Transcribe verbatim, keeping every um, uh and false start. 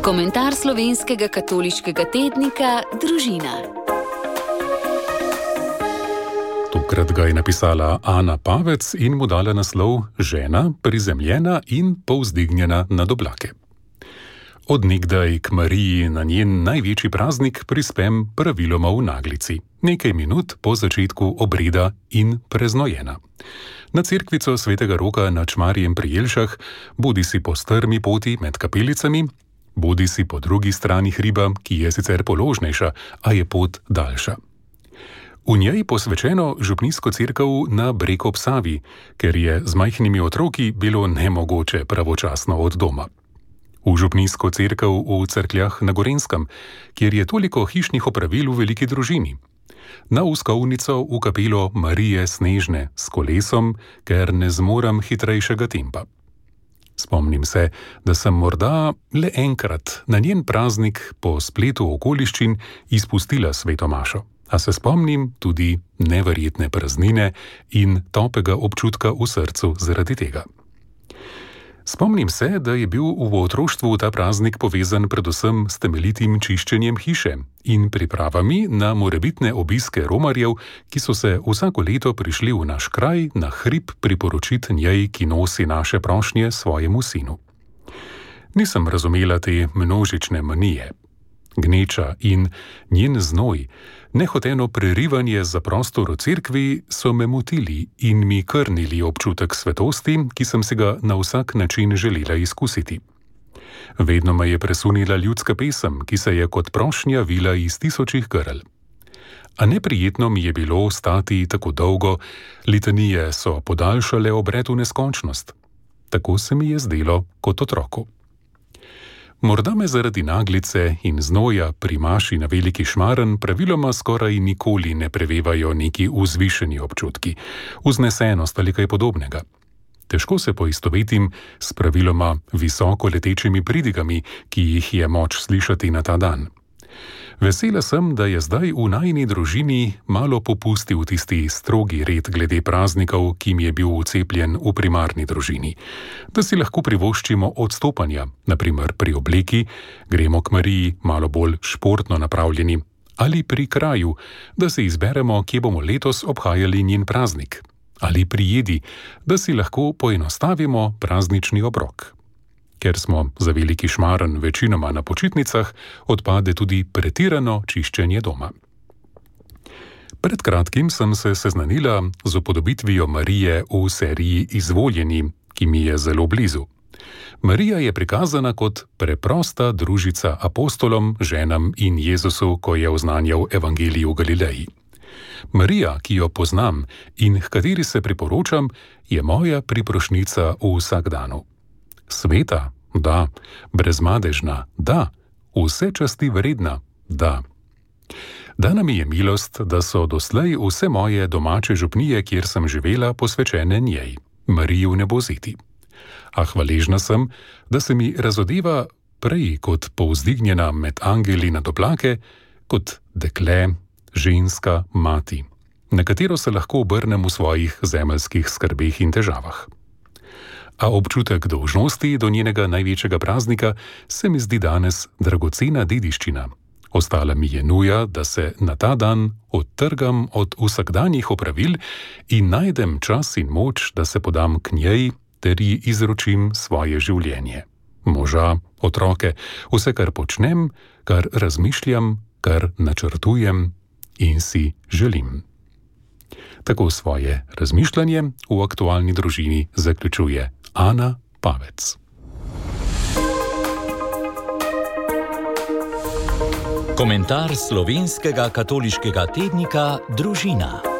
Komentar slovenskega katoliškega tednika Družina. Tokrat ga je napisala Ana Pavec in mu dala naslov Žena, prizemljena in povzdignjena nad oblake. Od nekdaj k Mariji na njen največji praznik prispem praviloma v naglici, nekaj minut po začetku obreda in preznojena. Na cerkvico svetega Roka na Čmarjem pri Jelšah, bodi si po strmi poti med kapelicami, bodi si po drugi strani hriba, ki je sicer položnejša, a je pot daljša. V njej posvečeno župnijsko cerkev na Breg ob Savi, ker je z majhnimi otroki bilo nemogoče pravočasno od doma. V župnijsko cerkev v Cerkljah na Gorenjskem, kjer je toliko hišnih opravil v veliki družini. Na uskovnico v kapelo Marije Snežne s kolesom, ker ne zmorem hitrejšega tempa. Spomnim se, da sem morda le enkrat na njen praznik po spletu okoliščin izpustila sveto mašo, a se spomnim tudi neverjetne praznine in topega občutka v srcu zaradi tega. Spomnim se, da je bil v otroštvu ta praznik povezan predvsem s temeljitim čiščenjem hiše in pripravami na morebitne obiske romarjev, ki so se vsako leto prišli v naš kraj na hrib priporočiti njej, ki nosi naše prošnje svojemu sinu. Nisem razumela te množične manije. Gneča in njen znoj, nehoteno prerivanje za prostor v cerkvi so me motili in mi krnili občutek svetosti, ki sem si ga na vsak način želela izkusiti. Vedno me je presunila ljudska pesem, ki se je kot prošnja vila iz tisočih grl. A neprijetno mi je bilo stati tako dolgo, litanije so podaljšale obred v neskončnost. Tako se mi je zdelo kot otroku. Morda me zaradi naglice in znoja pri maši na Veliki Šmaren praviloma skoraj nikoli ne prevevajo neki vzvišeni občutki, vznesenost ali kaj podobnega. Težko se poistovetim s praviloma visoko letečimi pridigami, ki jih je moč slišati na ta dan. Vesela sem, da je zdaj v najini družini malo popustil tisti strogi red glede praznikov, ki mi je bil vcepljen v primarni družini. Da si lahko privoščimo odstopanja, na primer pri obleki, gremo k Mariji malo bolj športno napravljeni, ali pri kraju, da se izberemo, kje bomo letos obhajali njen praznik, ali pri jedi, da si lahko poenostavimo praznični obrok. Ker smo za Veliki Šmaren večinoma na počitnicah, odpade tudi pretirano čiščenje doma. Pred kratkim sem se seznanila z upodobitvijo Marije v seriji Izvoljeni, ki mi je zelo blizu. Marija je prikazana kot preprosta družica apostolom, ženam in Jezusu, ko je oznanjal evangelij v Galileji. Marija, ki jo poznam in h kateri se priporočam, je moja priprošnica v vsakdanu. Sveta, da, brezmadežna, da, vse časti vredna, da. Dana mi je milost, da so doslej vse moje domače župnije, kjer sem živela, posvečene njej, Mariji v nebozeti. A hvaležna sem, da se mi razodeva prej kot povzdignjena med angeli nad oblake, kot dekle, ženska, mati, na katero se lahko obrnem v svojih zemeljskih skrbeh in težavah. A občutek dolžnosti do njenega največjega praznika se mi zdi danes dragocena dediščina. Ostala mi je nuja, da se na ta dan odtrgam od vsakdanjih opravil in najdem čas in moč, da se podam k njej ter ji izročim svoje življenje. Moža, otroke, vse, kar počnem, kar razmišljam, kar načrtujem in si želim. Tako svoje razmišljanje v aktualni družini zaključuje Ana Pavec. Komentar slovenskega katoliškega tednika Družina.